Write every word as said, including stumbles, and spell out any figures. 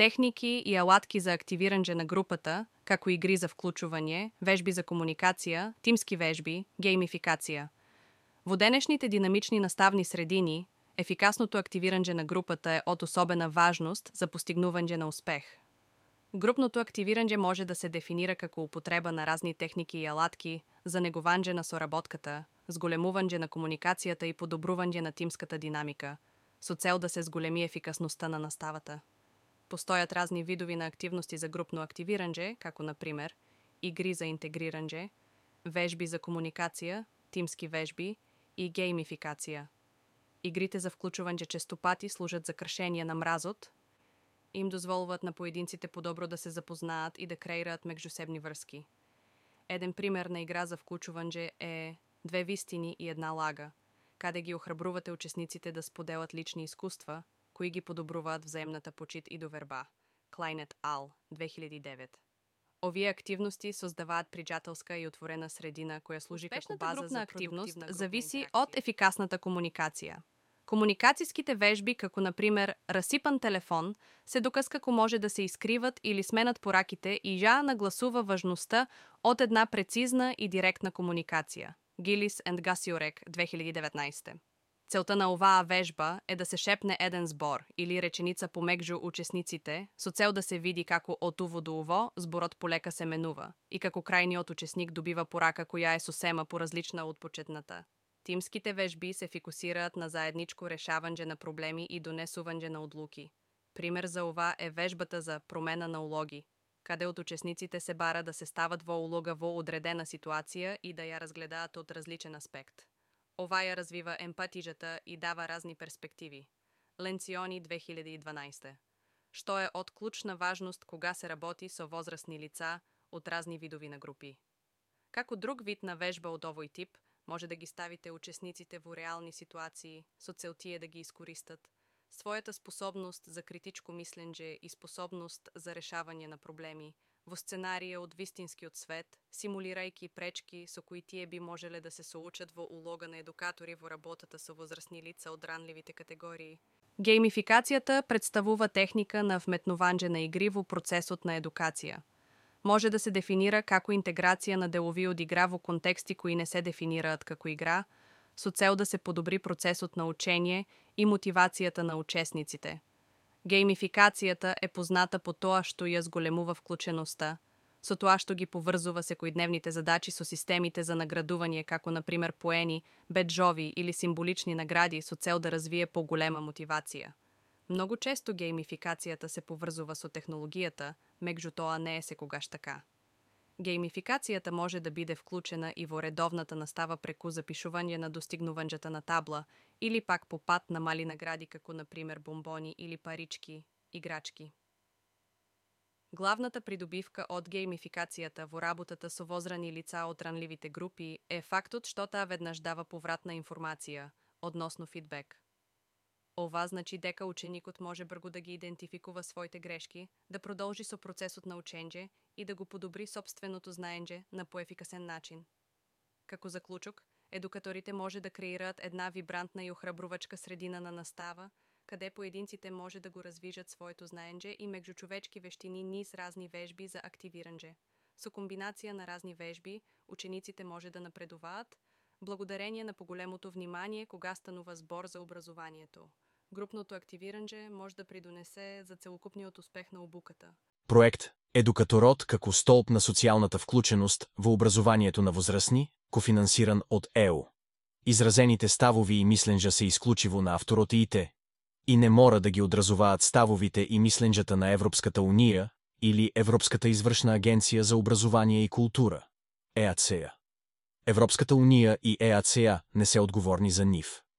техники и алатки за активирање на групата, како игри за вклучување, вежби за комуникација, тимски вежби, геймификација. Во денешните динамични наставни средини, ефикасното активирање на групата е од особена важност за постигнување на успех. Групното активирање може да се дефинира како употреба на разни техники и алатки за негување на соработката, зголемување на комуникацијата и подобрување на тимската динамика, со цел да се зголеми ефикасноста на наставата. Постојат разни видови на активности за групно активирање, како на пример игри за интегрирање, вежби за комуникација, тимски вежби и геймификација. Игрите за вклучување често пати служат за кршење на мразот, им дозволуваат на поединците подобро да се запознаат и да креираат меѓусебни врски. Еден пример на игра за вклучување е Две вистини и една лага, каде ги охрабрувате учесниците да споделат лични искуства, кои ги подобруваат взаемната почит и доверба. Клајнет Ал, две илјади и девет. Овие активности создаваат пријателска и отворена средина која служи како база за активност, зависи од ефикасната комуникација. Комуникацијските вежби, како на пример расипан телефон, се доказ како може да се искриват или сменат пораките и ја нагласува важноста од една прецизна и директна комуникација. Гилис енд Гасиорек, две илјади и деветнаесета. Целта на оваа вежба е да се шепне еден збор или реченица помеѓу учесниците, со цел да се види како од уво до уво зборот полека се менува и како крајниот учесник добива порака која е сосема поразлична од почетната. Тимските вежби се фокусираат на заедничко решавање на проблеми и донесување на одлуки. Пример за ова е вежбата за промена на улоги, каде од учесниците се бара да се стават во улога во одредена ситуација и да ја разгледаат од различен аспект. Ова ја развива емпатижата и дава разни перспективи. Ленциони, две илјади и дванаесета. Што е од клучна важност кога се работи со возрастни лица од разни видови на групи. Како друг вид на вежба од овој тип, може да ги ставите учесниците во реални ситуации, со цел тие да ги искористат, својата способност за критичко мислење и способност за решавање на проблеми, во сценарија од вистинскиот свет, симулирајќи пречки со кои тие би можеле да се соочат во улога на едукатори во работата со возрастни лица од ранливите категории. Геймификацијата представува техника на вметнување на игри во процесот на едукација. Може да се дефинира како интеграција на делови од игра во контексти кои не се дефинираат како игра, со цел да се подобри процесот на учење и мотивацијата на учесниците. Геймификацијата е позната по тоа што ја зголемува вклученоста, со тоа што ги поврзува секојдневните задачи со системите за наградување, како на пример поени, беџови или символични награди со цел да развие поголема мотивација. Многу често геймификацијата се поврзува со технологијата, меѓутоа не е секогаш така. Геймификацијата може да биде вклучена и во редовната настава преку запишување на достигнувањата на табла или пак по пат на мали награди како на пример бомбони или парички, играчки. Главната придобивка од геймификацијата во работата со возрани лица од ранливите групи е фактот што таа веднаш дава повратна информација, односно фидбек. Ова значи дека ученикот може брзо да ги идентификува своите грешки, да продолжи со процесот на учење и да го подобри сопственото знаење на поефикасен начин. Како заклучок, едукаторите може да креираат една вибрантна и охрабрувачка средина на настава, каде поединците може да го развижат своето знаење и меѓучовечки вештини низ разни вежби за активирање. Со комбинација на разни вежби, учениците може да напредуваат, благодарение на поголемото внимание кога станува збор за образованието. Групното активирање може да придонесе за целокупниот успех на обуката. Проект Едукаторот како столб на социјалната вклученост во образованието на возрастни, кофинансиран од Е У. Изразените ставови и мисленџа се исклучиво на авторот и ите и не мора да ги одразуваат ставовите и мисленџата на Европската Унија или Европската извршна агенција за образование и култура, Е А Це А. Европската Унија и Е А Це А не се одговорни за нив.